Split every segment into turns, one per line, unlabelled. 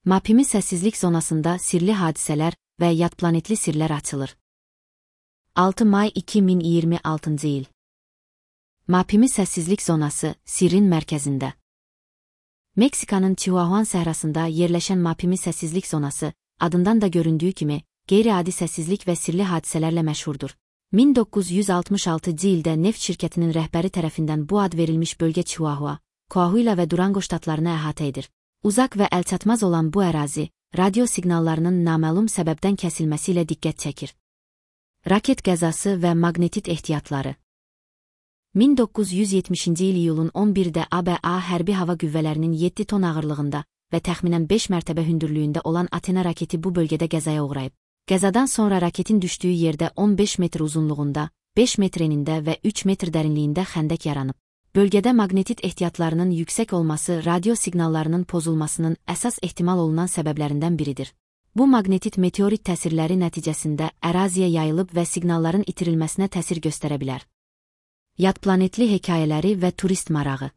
Mapimi səssizlik zonasında sirli hadisələr və yadplanetli sirlər açılır. 6 may 2026 il. Mapimi səssizlik zonası sirrin mərkəzində. Meksikanın Chihuahuan səhrasında yerləşən Mapimi səssizlik zonası, adından da göründüyü kimi, qeyri-adi səssizlik və sirli hadisələrlə məşhurdur. 1966-cı ildə neft şirkətinin rəhbəri tərəfindən bu ad verilmiş bölgə Chihuahua, Coahuila və Durango ştatlarını əhatə edir. Uzaq və əlçatmaz olan bu ərazi, radio siqnallarının naməlum səbəbdən kəsilməsi ilə diqqət çəkir. Raket qəzası və maqnetit ehtiyatları. 1970-ci il iyulun 11-də ABA hərbi hava qüvvələrinin 7 ton ağırlığında və təxminən 5 mərtəbə hündürlüyündə olan Athena raketi bu bölgədə qəzaya uğrayıb. Qəzadan sonra raketin düşdüyü yerdə 15 metr uzunluğunda, 5 metr enində və 3 metr dərinliyində xəndək yaranıb. Bölgədə maqnetit ehtiyatlarının yüksək olması radio siqnallarının pozulmasının əsas ehtimal olunan səbəblərindən biridir. Bu maqnetit meteorit təsirləri nəticəsində əraziyə yayılıb və siqnalların itirilməsinə təsir göstərə bilər. Yadplanetli hekayələri və turist marağı.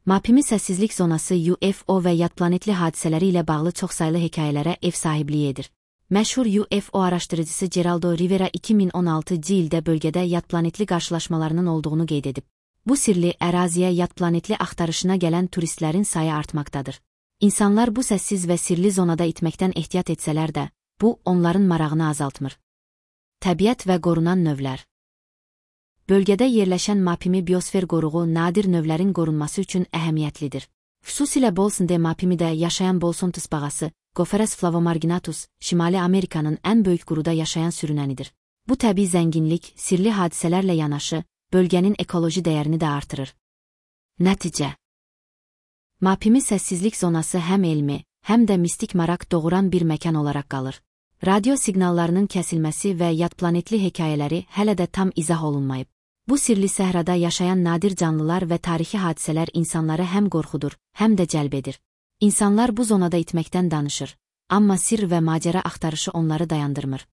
Mapimi səssizlik zonası UFO və yadplanetli hadisələri ilə bağlı çoxsaylı hekayələrə ev sahibliyi edir. Məşhur UFO araşdırıcısı Geraldo Rivera 2016-cı ildə bölgədə yadplanetli qarşılaşmalarının olduğunu qeyd edib. Bu sirli əraziyə yadplanetli axtarışına gələn turistlərin sayı artmaqdadır. İnsanlar bu səssiz və sirli zonada itməkdən ehtiyat etsələr də, bu onların marağını azaltmır. Təbiət və qorunan növlər. Bölgədə yerləşən Mapimi biosfer qoruğu nadir növlərin qorunması üçün əhəmiyyətlidir. Xüsusilə Bolson de Mapimidə yaşayan Bolson tısbağası, Gopherus flavomarginatus, Şimali Amerikanın ən böyük quruda yaşayan sürünənidir. Bu təbii zənginlik, sirli hadisələrlə yanaşı, bölgənin ekoloji dəyərini də artırır. Nəticə. Mapimi səssizlik zonası həm elmi, həm də mistik maraq doğuran bir məkan olaraq qalır. Radio siqnallarının kəsilməsi və yadplanetli hekayələri hələ də tam izah olunmayıb. Bu sirli səhrada yaşayan nadir canlılar və tarixi hadisələr insanları həm qorxudur, həm də cəlb edir. İnsanlar bu zonada itməkdən danışır, amma sirr və macəra axtarışı onları dayandırmır.